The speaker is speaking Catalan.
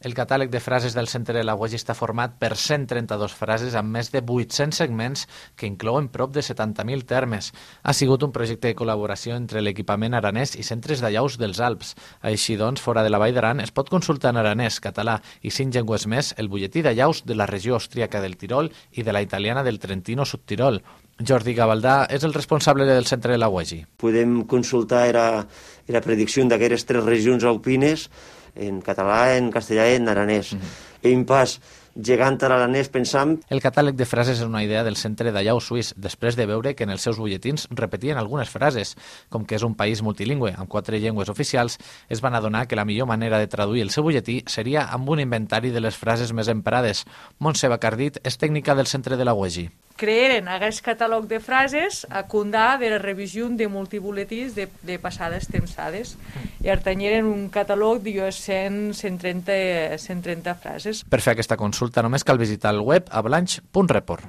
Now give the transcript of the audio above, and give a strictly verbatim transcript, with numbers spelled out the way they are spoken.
El catàleg de frases del Centre de la Uegi està format per cent trenta-dues frases amb més de vuit-cents segments que inclouen prop de setanta mil termes. Ha sigut un projecte de col·laboració entre l'equipament aranès i centres d'allaus dels Alps. Així doncs, fora de la Vall d'Aran es pot consultar en aranès, català i cinc llengües més el butlletí d'allaus de la regió austríaca del Tirol i de la italiana del Trentino-Subtirol. Jordi Gavaldà és el responsable del Centre de la Uegi. Podem consultar la, la predicció d'aquestes tres regions alpines en català, en castellà i en aranès. Mm-hmm. En pas, gegant a l'aranès pensant... El catàleg de frases és una idea del Centre d'Allau Suís, després de veure que en els seus butlletins repetien algunes frases. Com que és un país multilingüe, amb quatre llengües oficials, es van adonar que la millor manera de traduir el seu butlletí seria amb un inventari de les frases més emprades. Montse Bacardit és tècnica del Centre de la Uegi. Crearen aquest catàleg de frases a comptar de la revisió de multibuletins de, de passades tempsades. I artanyeren un catàleg de cent, cent trenta, cent trenta frases. Per fer aquesta consulta només cal visitar el web ablanch punt report.